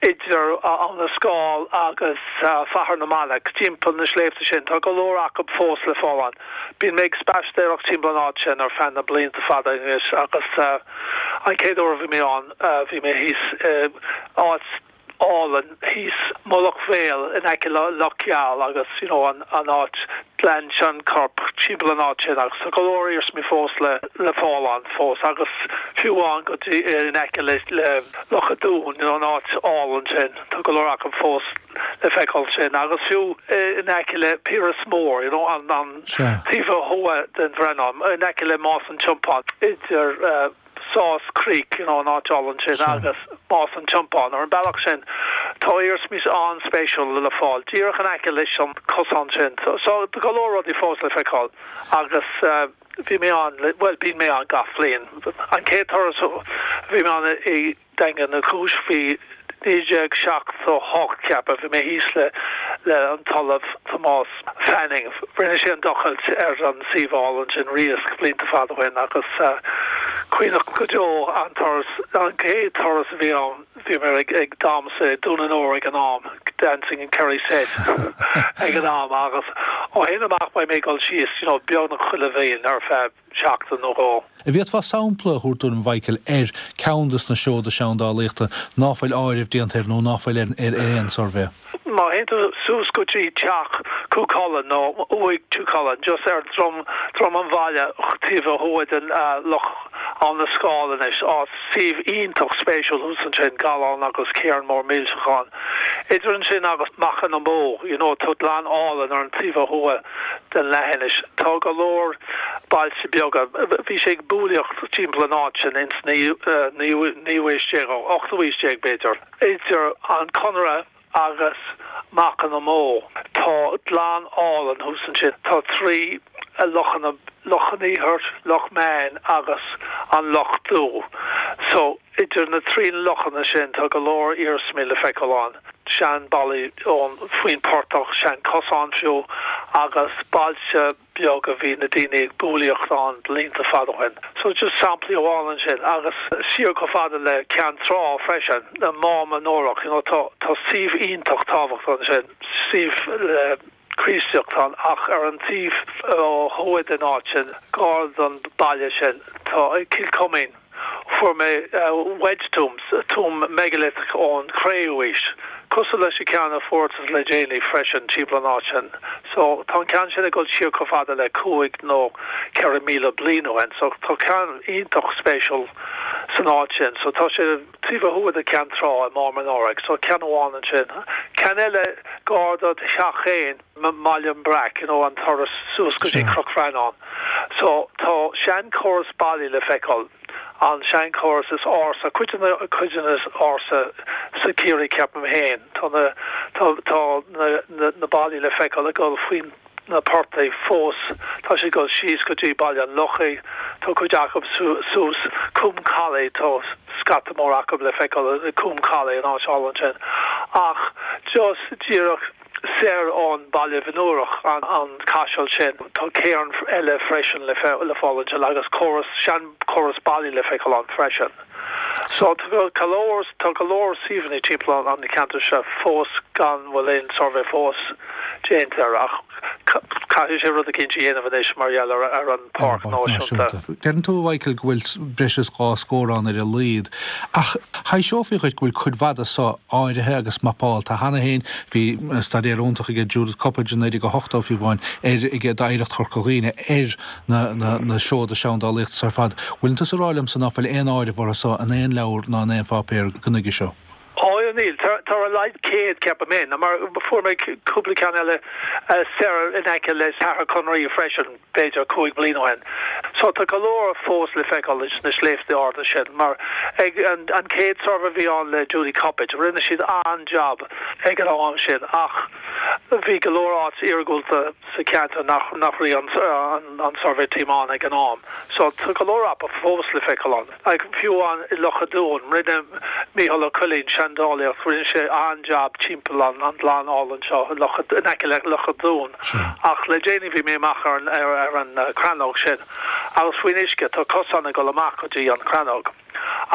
idir Abhainn na Scáil agus Faiche na Manach timpeall na sléibhte sin tá go leor acu fós le fáil ann. Bíonn mé ag spaisteoireacht timpeall an áit sin ar feadh na blianta fada anois agus an chéad uair a bhí mé ann bhí mé thíos áit álainn thíos Mullach Mhaol in aice le Loch Geal agus you know an an áit Gleann Seanchorp timpeall an áit sin agus tá go leor iarsmaí fós le le fáil ann fós agus fiú amháin go dtí in aice le le Loch a' Dúin you know an áit álainn sin tá go leor acu fós le feiceáil sin agus fiú in aice le Piaras Mór you know an an taobh thuaidh den Bhreathnán in aice le Más an Tiompáin idir uh, Sauce Creek you know an áit álainn sin agus Más an Tiompáin ar an bealach sin tá iarsmaí an-spéisiúil le fáil díreach in aice leis an cosán sin so, so go leor rudaí fós le feiceáil agus uh, bhí mé ann well bíonn mé ann gach bliain an chéad turas bhí mé ann i Daingean Uí Chúis bhí naoi déag seachtó hocht ceapaim bhí mé thíos le le an tOllamh Tomás Fanning rinne sé an tochailt ar an suíomh álainn sin Riasc blianta fada ó shin agus uh, cuimhneach go deo an turas an chéad turas a bhí ann bhí mé ag ag damhsa Dún an Óir ag an am dancing in Kerry Set ag an am agus ó shin amach beidh mé dul síos you know beagnach chuile bhliain ar feadh seachtain nó dhó. An bhféadfá sampla a thabhairt dúinn Mhichael ar ceann des na seoda seandálaíochta ná fuil áireamh déanta air nó ná fuil ar ar aon suirbhé. Má théann tú suas go dtí teach Chú Chulainn nó uaigh Chú Chulainn just ar drom drom an bhaile taobh thuaidh den uh, loch Abhainn na Scáil anois á suíomh iontach spéisiúil thuas ansin gallán agus cairn mór millteach ann. Idir ansin agus Macha na Bó, you know, tá gleann álainn ar an taobh thuaidh den leithinis. Tá go leor bailte beaga. Bhí sé ag búlaíocht timpeall an áit sin ins naoú haois déag ochtú haois déag b'fhéidir. Idir an Conaire agus Macha na mBó. Tá gleann álainn thuas ansin. Tá trí lochanna Loch an Iarthair, Loch Meáin agus an Loch Dubh. So idir na trí lochanna sin tá go leor iarsmaí le feiceáil ann. Sean ballaí ón faoin portach sean cosán fiú agus bailte beag a bhí na daoine ag búlaíocht ann blianta fada ó shin. So just samplaí amháin ansin agus siar chomh fada le Ceann Trá freisin na Mám Onórach you know, tá tá suíomh iontach tábhachtach ansin suíomh le Críostaíocht ann ach ar an taobh ó thuaidh den áit sin gar don baile sin tá Kilcummin fuair mé uh, wedge tombs tomb megalith ón cré-umhaois. Cosúil leis an ceann a fuarthas le déanaí freisin timpeall an áit sin. So tá an ceann sin ag dul siar chomh fada le cúig nó ceithre míle bliain ó shin, so tá ceann iontach spéisiúil san áit sin, so tá sé taobh thuaidh de Ceann Trá i Mám Onórach, so ceann amháin ansin. Ceann eile gar do theach féin Baile an Breac, you know, an turas suas go dtí Cnoc Bhreathnán. So tá sean chóras ballaí le feiceáil an seanchóras is ársa cuid cuid is ársa sa Ciarraí ceapaim féin tá na tá tá na, na, na ballaí le feiceáil ag dul faoin na portaigh fós tá sé dul síos go dtí Baile an Lochaigh tá cuid acu suas Cúm Callaí tá scata mór acu le feiceáil Cúm Callaí an áit álainn sin ach just díreach soir ón Baile Bhinn an an caiseal sin tá cairn eile freisin le le fáil ansin agus córas sean chóras ballaí le feiceáil ann freisin. So tá go leor tá go leor suíomhanna timpeall an ceantar seo fós gan bhfuil aon suirbhé fós déanta ach caithfidh sé rud eicínt a dhéanamh anois mar gheall ar ar an Páirc Náisiúnta. Deireann tú, a Mhichael, go bhfuil breis is dhá scór ann ar a laghad, ach thaibhseofaí dhuit go bhfuil cuid mhaith de so áirithe agus mapáilte cheana féin. Bhí staidéar iontach aige Judith Coppedge in naoi déag a hochtó fiú amháin ar aige d'Oidhreacht Chorca Dhuibhne ar na na na seoda seandálaíochta so ar fad. Bhfuileann tusa ag rá liomsa ná fuil aon áireamh orthu so in aon leabhar ná in aon pháipéar go nuige seo? Ó níl, tá ar a laghad céad ceapaim féin, mar fuair mé cúpla ceann eile soir in aice le Ceathrú Conraoi freisin b'fhéidir cúig bliain ó shin. So tá go leor fós le feiceáil sna sléibhte arda sin, mar ag an an chéad suirbhé a bhí ann le Judy Coppedge, rinne siad an-jab ag an am sin ach bhí go leor áit iargúlta sa cheantar nach nach raibh an an an survey team ann ag an am. So tá go leor acu fós le feiceáil ann. Like fiú amháin i Loch an Dúin, rinne Mícheál Ó Coileáin seandálaíocht, rinne sé an-jab timpeall an an gleann álainn seo i Loch in aice le Loch an Dúin. Ach le déanaí bhí mé amach ar an ar ar an crannóg sin agus faoin uisce tá cosán ag dul amach go dtí an crannóg.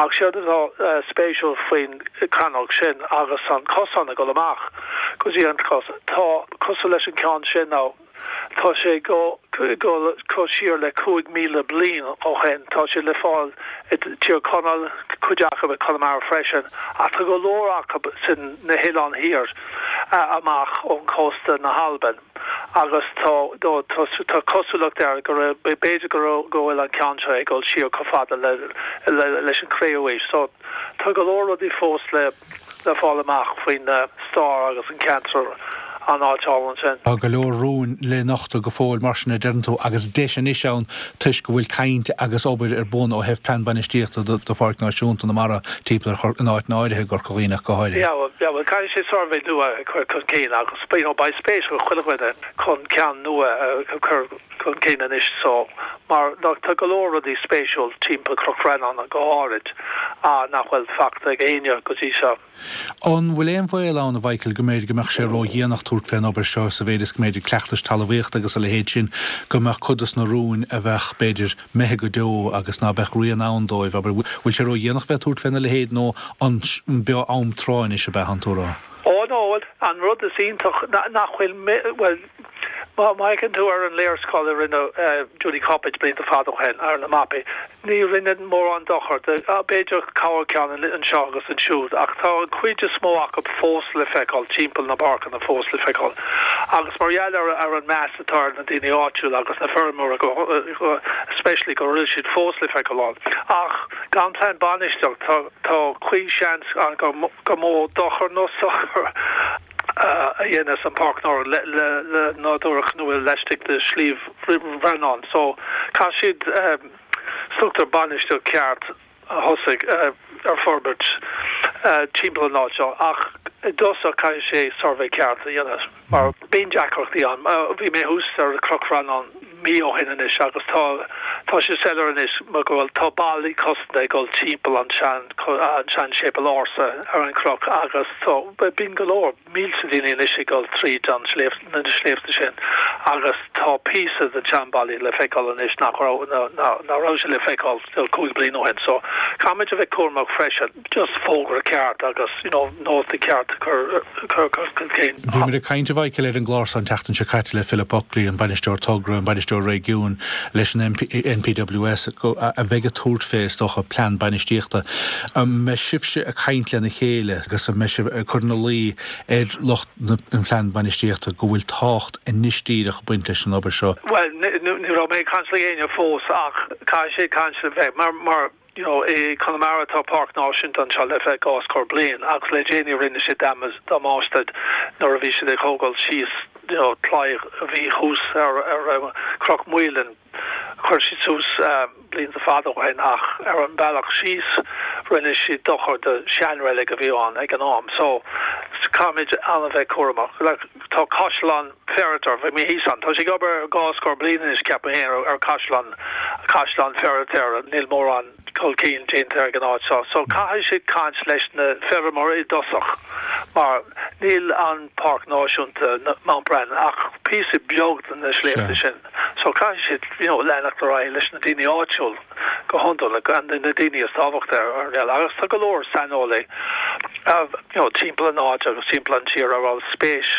Ach séard atá spéisiúil faoin crannóg sin agus an cosán ag dul amach go dtí an cos tá cosúil leis an ceann sin nó tá sé go go go siar le cúig míle bliain ó shin tá sé le fáil i Tír Chonaill cuid acu i Conamara freisin ach tá go leor acu sin na hoileáin thiar amach ón cósta na hAlban agus tá tá tá cosúlacht air go b'fhéidir go go bhfuil an ceann seo ag dul siar chomh fada le le leis an cré-umhaois so tá go leor rudaí fós le le fáil amach faoin stair agus an ceantar an áit álainn sin. Tá go leor rúin le nochtadh go fóill mar sin a deireann tú agus deis anois ann toisc go bhfuil caint agus obair ar bun ó thaobh plean bainistíochta do Pháirc Náisiúnta na Mara timpeall ar in áit áirithe i gCorca Dhuibhne go háirithe. Yeah, well, yeah, well, caithfidh sé suirbhé nua a chur chun cinn agus you know, beidh spéis ag chuile dhuine chun ceann nua a chur chun cinn anois so mar tá go leor rudaí spéisiúil timpeall Chnoc Bhreathnán go háirid nach bhfuil fachta ag éinne go dtí seo. An bhfuil aon bhaol ann a Mhichael go mb'fhéidir go mbeadh sé ródhéanach tabhairt fén obair seo sa mhéid is go mb'fhéidir cleachtais talmhaíochta agus a leithéid sin go mbeadh cuid dos na rúin a bheadh b'fhéidir imithe go deo agus ná beadh rian ann dóibh abair bhfuil sé ródhéanach bheith tabhairt féna leithéid nó an beo am tráth anois a bheith an tú rá? Ó no an rud is iontach nach bhfuil well má fhéachann tú ar an léarscáil a rinne Judy Coppedge blianta fada ó shin ar na mapaí ní rinne mórán dochar b'fhéidir corrcheann anseo agus ansiúd ach tá an chuid is mó acu fós le feiceáil timpeall na bpáirceanna fós le feiceáil agus mar gheall ar ar an meas atá ar na daoine áitiúla agus na feirmeoirí especially go bhfuil siad fós le feiceáil ann ach gan plean bainistíocht tá tá chuile sheans an go go mó dochar nó sochar a dhéanamh an páirc nár le le le nádúrach nó laistigh de Shliabh Bhreathnán so caithfidh siad um, struchtúr bainistíocht ceart a thosaigh uh, ar forbairt uh, timpeall an áit seo ach i dtosach caithfidh sé suirbhé ceart a dhéanamh mar bíonn deacrachtaí ann bhí mé thuas ar Chnoc Bhreathnán mí ó shin anois agus tá tá sé soiléir anois mar go bhfuil tá ballaí cosanta ag dul timpeall an sean an sean séipéal ársa ar an chnoc agus tá bíonn go leor mílte daoine anois ag dul tríd an sléibh na sléibhte sin agus tá píosa den seanbhallaí le feiceáil anois nach raibh nach raibh sé le feiceáil cúig bliain ó shin so caithfimid a bheith cúramach freisin just fógra ceart agus you know nóta ceart chur chur chun cinn. Bhí muid ag caint a Mhichael ar an gclár an tseachtain seo caite le Philip Buckley an bainisteoir togra an bainisteoir réigiúin leis an NPWS a bheidh ag tabhairt fé is dócha plean bainistíochta. An mbeidh sibhse ag caint lena chéile agus an mbeidh sibh ag cur ina luí ar lucht an phlean bainistíochta go bhfuil tábhacht anois díreach ag baint leis an obair seo. Well ní raibh mé ag caint le éinne fós ach caithfidh sé caint le bheith mar mar you know i Conamara tá Páirc Náisiúnta anseo le bheith dhá scór bliain agus le déanaí rinne sé damáiste nuair a bhí siad ag tógáil síos you know claí a bhí thuas ar ar Chnoc Mhaoláin chuir siad suas blianta fada ó shin ach ar an bealach síos rinne siad dochar do seanreilig a bhí ann ag an am so caithfimid an-bheith cúramach like, tá Caisleán Ferriter bhí mé thíos ann tá sé ag obair dhá scór bliain anois ceapaim féin ar Caisleán Caisleán Ferriter níl mórán chun cinn déanta ag an áit seo so caithfidh siad caint leis na feirmeoirí i dtosach mar níl an Páirc Náisiúnta Mount Brandon ach píosa beag de na sléibhte sin so caithfidh siad you know, leanacht ar aghaidh leis na daoine áitiúil go hiondúil gan na daoine is tábhachtaí ar ar agus tá go leor saineolaí uh, you know, timpeall an áit agus timpeall an tír a bhfuil spéis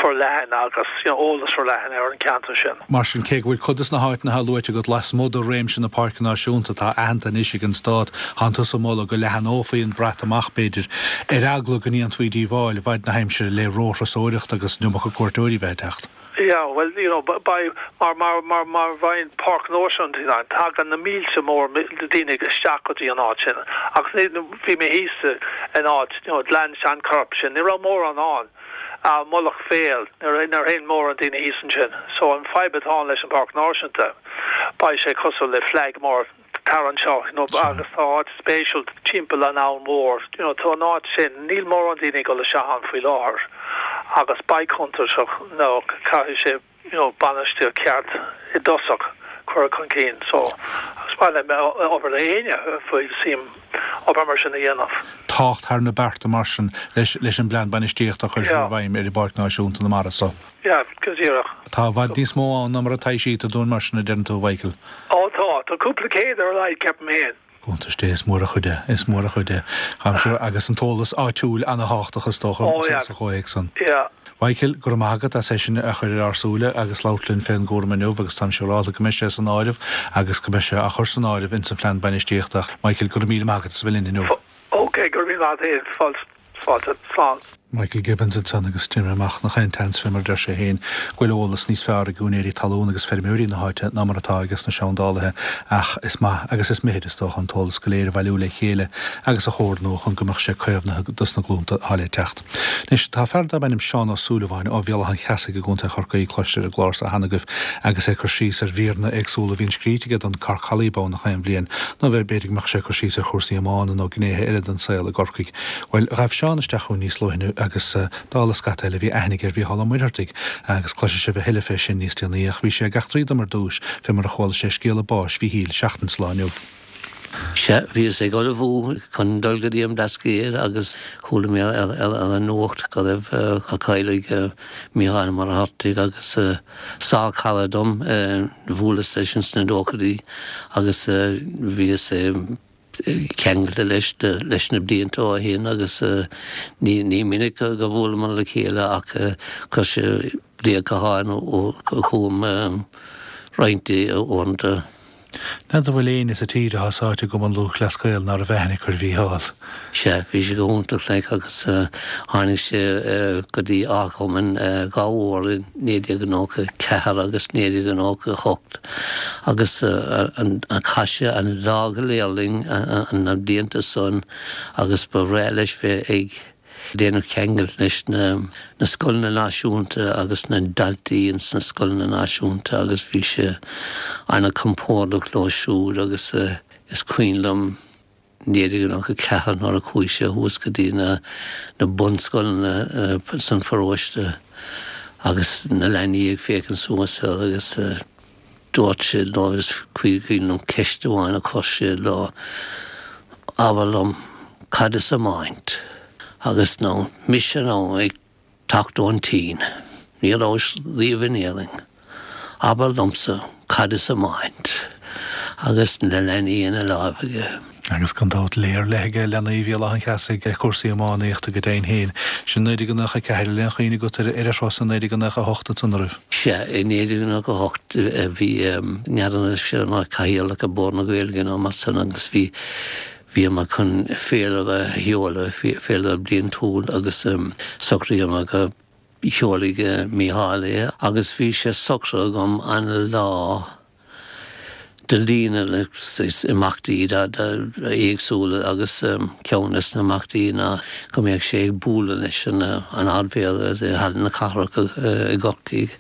forleathan agus you know, eolas forleathan ar an ceantar sin. Mar sin cé go bhfuil cuid des na háiteanna atá luaite agat lasmuigh de réimse na Páirce Náisiúnta atá aitheanta anois ag an Stát, tánn tusa ag moladh go leathanófaí an brat amach b'fhéidir, ar eagla go ndéanfaí díobháil i bhfaid na haimsire le róthurasóireacht agus an iomarca cuairteoirí bheith ag teacht. Yeah, well, you know, by mar mar mar mar bheinn Páirc Náisiúnta ann, tagann na mílte mór daoine isteach go dtí an áit sin. Agus bhí mé thíos in áit, you know, Gleann Seanchorp sin, ní raibh mórán ann. Uh, Mullach Féil ar ar aon mórán daoine thíos ansin. So an fadhb atá leis an Páirc Náisiúnta beidh sé cosúil le flag mór tar anseo you know, agus tá áit spéisiúil timpeall an abhainn mhór you know, tá an áit sin níl mórán daoine go leis an faoi láthair agus beidh contúirteach nó caithfidh sé you know, bainistíocht ceart i dtosach chur chun cinn so is maith le obair le éinne faoi suim obair mar sin a dhéanamh. Tácht thar na bearta mar sin leis leis an bplean bainistíochta a chur i bhfeidhm ar i bPáirc Náisiúnta na Mara so. Yeah, go díreach. Tá i bhfad níos mó ann ná mar atá siad dún mar sin a deireann tú Mhichael. Ó tá tá cúpla céad ar a laghad ceapaim féin. Gonta is mór a chuid is mór a chuid Hamsir agus an t-eolas áitiúil an-tábhachtach is dócha sa chomhthéacs san. Yeah. Mhichael go raibh maith agat as é sin a chur ar ár súile agus labhairt linn fén gcúram inniu agus táim siúráilte go mbeidh sé san áireamh agus go mbeidh sé á chur san áireamh in san phlean bainistíochta. Michael go raibh míle maith agat as bheith linn inniu. Ok, go raibh maith agat fáilte fáilte slán. Michael Gibbons ansan agus déanaim amach nach aon tseans fé mar deir sé féin go bhfuil eolas níos fearr ag úinéirí talún agus feirmeoirí na háite ná mar atá aige na seandálaithe ach is maith agus is mithid is dócha an t-eolas go léir a bhailiú le chéile agus a chomhordú chun go mbeadh sé caomhnaithe dos na glúnta atá le teacht. Anois tá fear darb ainm Seán Ó Súilleabháin ó Bhéal Átha an Cheasaigh i gContae Chorcaí cloiste ar an gclár seo cheana agaibh agus é cur síos ar mhíreanna éagsúla a bhíonn scríte aige don Cork Holly beagnach aon bhliain nó bheith b'fhéidir go mbeadh sé cur síos ar chúrsaí iomána nó gnéithe eile den saol i gCorcaigh. Well ghabh Seán isteach chugainn níos luaithe agus dála scata eile bhí aithne aige ar Mhícheál Ó Muircheartaigh agus cloisfidh sibh a thuilleadh fé sin níos déanaí ach bhí sé ag eachtraí dom ar dtús fé mar a chuala sé scéala báis Mhíchíl seachtain sa lá inniu. Sea, bhíos ag ullmhú chun dul go dtí an Blascaod agus chuala mé ar an nuacht go raibh a cailleadh Mícheál Ó Muircheartaigh agus sárchara dom bhuaileas leis sna nóchaidí agus bhíos ceangailte leis leis na blianta ó shin agus ní ní minic go bhfuaileamar le chéile ach chuir sé glaoch gutháin chugam roinnt uaireanta. N'fheadar an bhfuil éinne sa tír atá sáite i gCumann Lúthchleas Gael ná raibh aithne acu ar Mhícheál. Sea, bhí sé go hiontach like agus tháinig sé go dtí Áth Chomáin dhá uair i naoi déag nócha ceathair agus naoi déag nócha hocht agus chaith sé an lá go léir linn na blianta san agus ba bhreá leis bheith ag déanamh ceangal leis na na scoileanna náisiúnta agus na daltaí ins na scoileanna náisiúnta agus bhí sé an-chompordach leo siúd agus is cuimhin liom naoi déag nócha ceathair nuair a chuaigh sé thuas go dtí na na bunscoileanna san pharóiste agus na leanaí ag féachaint suas air agus dúirt sé leo is cuimhin liom ceist amháin a chuir sé leo abair liom cad is iomáint agus nó mise nó ag teacht ón tSín ní rabhas riamh in Éirinn abair liomsa cad is iomáint agus na leanaí ina láimh aige. Agus gan dabht léir le aige leanaí Bhéal Átha an Cheasaigh ar chúrsaí iománaíochta go deimhin féin. Sin naoi déag nócha ceathair an bhfuil aon chuimhne agat ar ar ar thusa naoi déag nócha hocht ansan an raibh. Sea, i naoi déag nócha hocht bhí n'fheadar an sé mar cathaoirleach ar Bhord na Gaeilge nó mar san agus bhí bhíomar chun féilire a sheoladh, féilire bliantúil agus socraíomar go seolfaidh Mícheál é agus bhí sé socraithe agam an lá de líne le imeachtaí éagsúla agus ceann des na himeachtaí ná go mbeadh sé ag bualadh leis an an Ardmhéara i Halla na Cathrach i gCorcaigh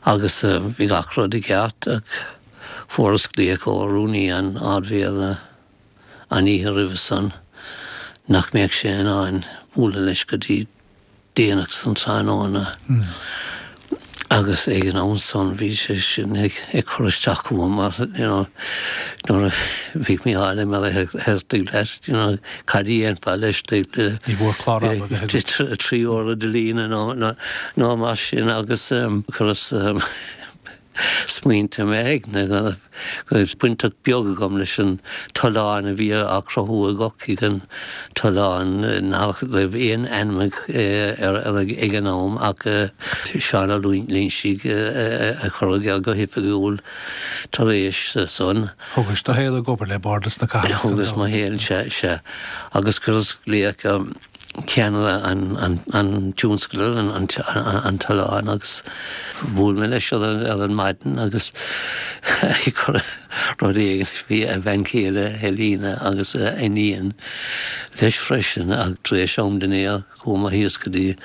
agus bhí gach rud i gceart ach fuaireas glaoch ó rúnaí an Ardmhéara an oíche roimhe san nach mbeadh sé in ann bualadh leis go dtí déanach san tráthnóna. Agus ag an am san bhí sé sin ag ag cur isteach chugam mar you know nuair a bhí Mícheál Ó Muircheartaigh leat you know cad a dhéanfá leis Ní mhór clár ama bheith agat. trí uaire de líne nó nó mar sin agus chuireas Smaointe mé ag na go raibh baint beag agam leis an tollán a bhí á chruthú i gCorcaigh an tollán nach raibh aon ainm air ag an am ach Seán Ó Loingsigh a chuir air go hoifigiúil tar éis san. Thugais do shaol ag obair le Bardas na Cathrach. Thugas mo shaol sea sea agus chuireas glaoch ceannaire an tionscadail, an tollán agus bhuail mé leis ar an maidin agus ag cur rud éigin bhí a bhean chéile Helena agus a iníon leis freisin ach tar éis am dinnéir chuaigh mé thíos go dtí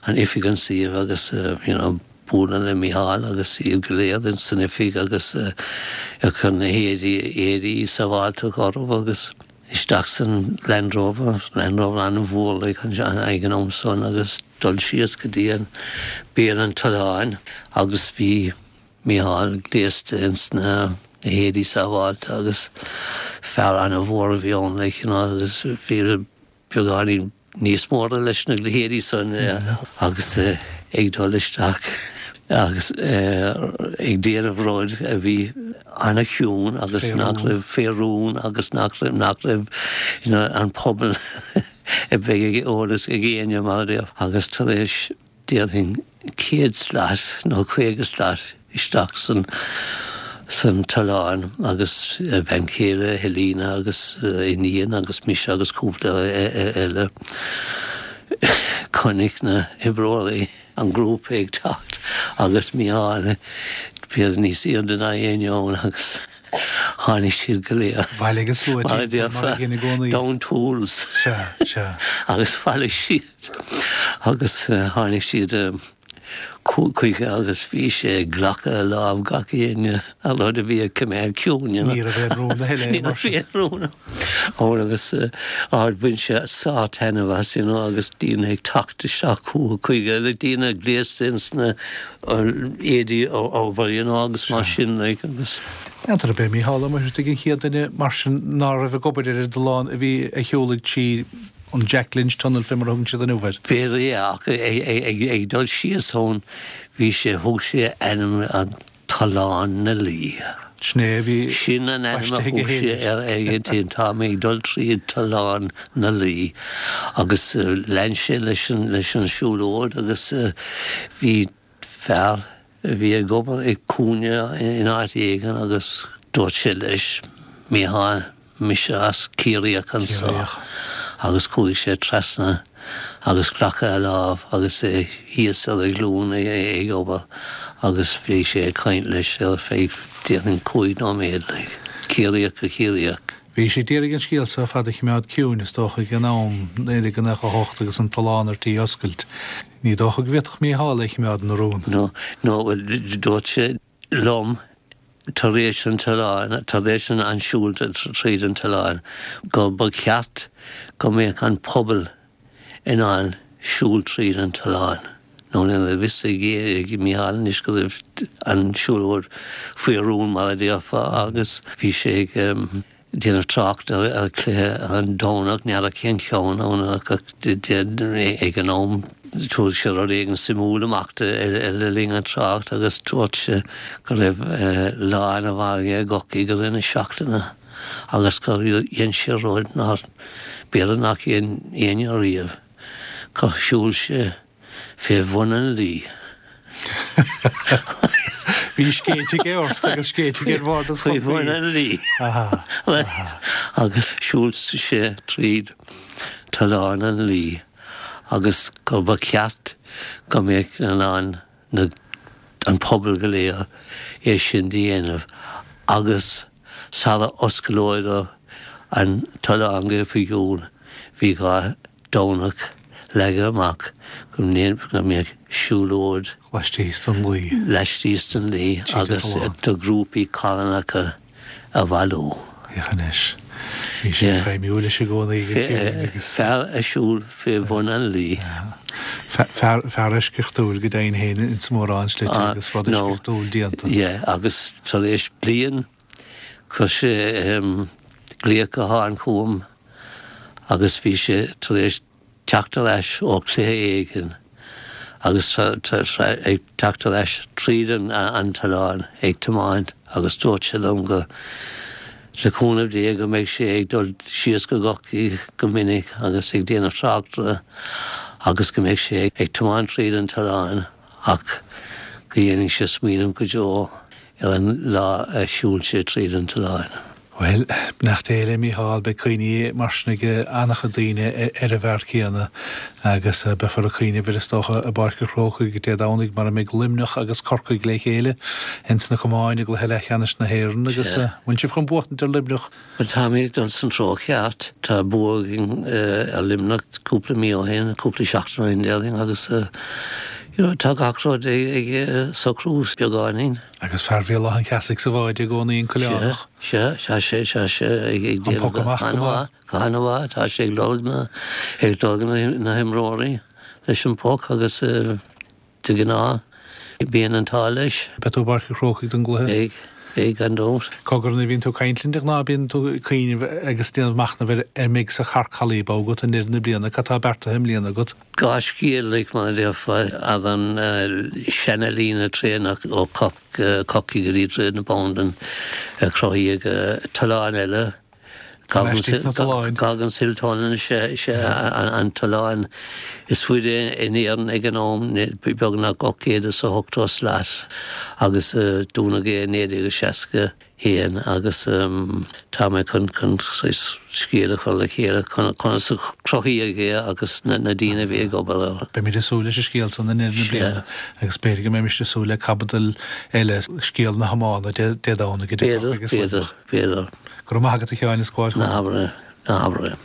an oifig an suíomh agus you know bualadh le Mícheál agus iad go léir san oifig agus ag cur na héadaí éadaí sábháilteachta orthu agus isteach san Land Rover, Land Rover an-mhór like ag an am san agus dul síos go dtí an béal an tolláin agus bhí Mícheál gléasta ins na héadaí sábháilte agus fear an-mhór a bhí ann like you know agus bhí beagáinín níos móra leis na héadaí san agus ag dul isteach agus ag déanamh rud a bhí an-chiúin agus nach raibh fé rún agus nach raibh nach raibh you know an pobal a bheith ag eolas ag éinne mar a déarfá agus tar éis déarfainn céad slat nó caoga slat isteach san san tollán agus a bhean chéile Helena agus iníon agus mise agus cúpla eile. Chonaic na hoibreoirí an grúpa ag teacht agus Mícheál b'fhéidir níos airde ná éinne ann agus tháinig siad go léir. Bhailigh an slua timpeall mar a dhein i gcónaí. Down tools. Sea, sea. Agus bhailigh siad agus tháinig siad chuige agus bhí sé ag glacadh lámh gach éinne an rud a bhí ag coimeád ciúin. Ní raibh aon rún a thuilleadh Ní raibh aon rún ann agus ard bhain sé sár-taitneamh as you know agus daoine ag teacht isteach chuige like daoine gléasta ins na éadaí obair you know agus mar sin like agus. N'fheadar ab é Mícheál Ó Muircheartaigh an chéad duine mar sin ná raibh ag obair ar an dtollán a bhí a shiúlaigh trí an Jack Lynch Tunnel fé mar a thugann siad inniu air. B'fhéidir é ach ag dul síos ann bhí sé, thug sé a ainm an Tollán na Laoi. Sin é a bhí Sin an ainm a baiste aige thug sé féin air ag an t-aon tá mé ag dul tríd Tollán na Laoi agus lean sé leis an leis an siúlóid agus bhí fear a bhí ag obair ag cúinne in áit éigin agus dúirt sé leis, Mícheál, mise as Ciarraíoch anso. Ciarraíoch. Agus chuaigh sé trasna agus glacadh a lámh agus é thíos ar a ghlúin ag obair agus bhí sé ag caint leis ar feadh déarfainn cúig nóiméad, like, Ciarraíoch go Ciarraíoch. Bhí sé d'iarraidh an scéal seo ar fad a choimeád ciúin, is dócha, ag an am, naoi déag nócha a hocht agus an tollán ar tí oscailt. Ní dócha go bhféadfadh Mícheál é a choimeád ina rún. No, no, bhuel, dúirt sé liom tar éis an tolláin, tar éis an siúl tríd an tollán, go ba cheart go mbeadh an pobal in ann siúl tríd an tollán. Nó ní raibh fhios ag Mícheál anois go raibh an siúlóid faoi rún mar a déarfá agus bhí sé ag déanamh trácht ar chluiche ar an Domhnach, n'fheadar cén ceann ann ach ag an am Tabharfaidh sé rud éigin suimiúil amach le linn an trácht agus dúirt sé go raibh lá ana-mhaith aige i gCorcaigh i rith na seachtaine agus gur dhein sé rud nár, b'fhéidir nach dhein éinne riamh, gur shiúil sé fé bhun an Laoi. Bhí scéit aige ort agus scéit aige ar Bhardas Faoi bhun an Laoi. Agus shiúil sé tríd Tollán an Laoi. agus gur ba cheart go mbeadh in ann na an pobal go léir é sin do dhéanamh agus sara osclódar an tollán go hoifigiúil bhí dhá Domhnach leagtha amach go go mbeadh siúlóid Laistíos den Laoi. laistíos den Laoi Tríd an agus tollán. do ghrúpaí carthanacha a bhailiú. Féach anois. Bhí sé ag feidhmiú leis i gcónaí go ciúin agus. Fear a shiúil fé bhun an Laoi. Fear fear eisceachtúil go deimhin féin ins mórán slite agus rud eisceachtúil déanta. Yeah, agus tar éis bliain chuir sé glaoch gutháin chugam agus bhí sé tar éis teacht ar ais ó chluiche éigin agus ag teacht leis tríd an an tollán ag tiomáint agus dúirt sé liom go le cúnamh Dé go mbeidh sé ag dul síos go Corcaigh go minic agus ag déanamh tráchtaire agus go mbeidh sé ag tiomáint tríd an tollán ach go dhéanfaidh sé smaoineamh go deo ar an lá a shiúil sé tríd an tollán. Bhuel, beannacht Dé le Mícheál, beidh cuimhní mar sin ag an-chuid daoine ar an bhfear céanna agus beifear ag cuimhneamh air is dócha i bPáirc an Chrócaigh Dé Domhnaigh mar a mbeidh Luimneach agus Corcaigh le chéile ins na camáin i gcluiche leathcheannais na hÉireann agus bhfuil sibh chun buachtaint ar Luimneach? Bhuel táimid ag dul san treo ceart. Tá bua againn ar Luimneach cúpla mí ó shin, cúpla seachtain ó shin déarfainn agus you know tá gach rud ag socrú beagáinín. Agus fear Bhéal Átha an Cheasaigh sa bhád i gcónaí an Coileánach. Sea, sea, sé, sé, sé ag An poc amach go maith. Go han-mhaith, tá sé ag lorg na ag lorg na himreoirí leis an poc agus de ghnáth bíonn an t-ádh leis. Beidh tú i bPáirc an Chrócaigh don gcluiche? Beidh, beidh gan dabht. Cogar nuair a bhíonn tú ag caint linn de ghnáth bíonn tú ag cuimhneamh agus déanamh machnaimh ar ar mbeidh sa charrcalaí agat i ndeireadh na bliana, cad tá beartaithe i mbliana agat? Dhá scéal like mar a déarfá ar an seana-líne traenach ó Corcaigh go dtí Droichead na Bandan a cruthaíodh tollán eile Goggins Hill Tunnel is ea an tollán is faide in Éirinn ag an am, beagnach ocht gcéad is a hochtó slat agus dúnadh é i naoi déag seasca haon agus tá mé chun chun scéal a chur le chéile conas a cruthaíodh é agus na daoine a bhí ag obair air. Beimid ag súil leis an scéal san i ndeireadh na bliana agus b'fhéidir go mbeimis ag súil le caibidil eile, scéal na hiomána Dé Domhnaigh idir Corcaigh agus Luimneach. B'fhéidir, b'fhéidir. Go raibh maith agat a Sheáin is gabháil Ná habair é, ná habair é.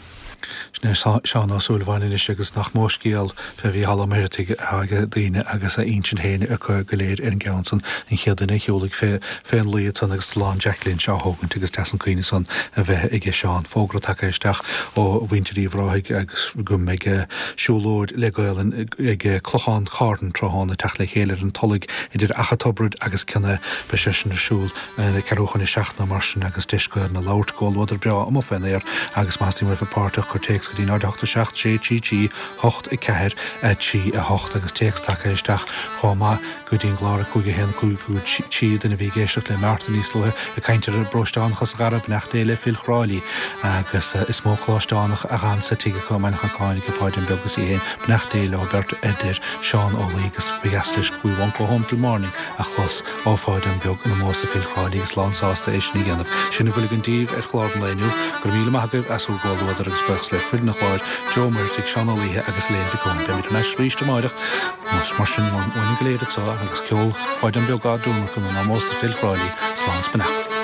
Sin é Seán Ó Súilleabháin anois agus nach mó scéal fé Mhícheál Ó Muircheartaigh atá ag daoine agus a intinn féin acu go léir ar an gceann san, an chéad duine a shiúlaigh fé fén luí ansan agus Tollán Jack Lynch á thógaint agus deas an cuimhne san a bheith aige Seán. Fógra tagtha isteach ó mhuintir Uíbh Ráthaigh agus go mbeidh siúlóid le Gaolainn ag Clochán Chairn tráthnóna teacht le chéile ar an Tulaigh idir Achadh Tobraid agus Cionn Aith. Beidh sé sin ar siúl ceathrú chun a seacht nó mar sin agus deis Gaolainn a labhairt, comhluadar breá amuigh fén aer agus más duine a bheith páirteach cuir téacs go dtí náid a hocht a seacht sé trí trí hocht a ceathair a trí a hocht agus téacs tagtha isteach chomh maith go dtí an gclár a cúig a haon cúig cúig trí duine a bhí ag éisteacht le Martin níos luaithe ag caint ar an bparóisteánachas a Dhara, beannacht Dé le Phil Chráilí agus is mó coláisteánach a dh'fhan sa tigh acu i mBaile an Chnocáin ag Páidín Beag is í fhéin, beannacht Dé leo beirt a deir Seán Ó Laoi agus ba dheas leis We Won't Go Home Till Morning a chlos ó Pháidín Beag in ómós do Phil Chráilí agus lán sásta é sin a dhéanamh. Sin a bhfuil againn daoibh ar chlár an lae inniu. Go raibh míle maith agaibh as bhur gcomhluadar agus buíochas le foireann an chláir, Joe Ó Muircheartaigh, Seán Ó Laoithe agus Elaine Mhic Eoin. Beimid thar n-ais arís amáireach. Mar sin, uainn go léir anseo agus ceol Pháidín Beag á dtionlacan in ómós do Phil Chráilí, slán 's beannacht.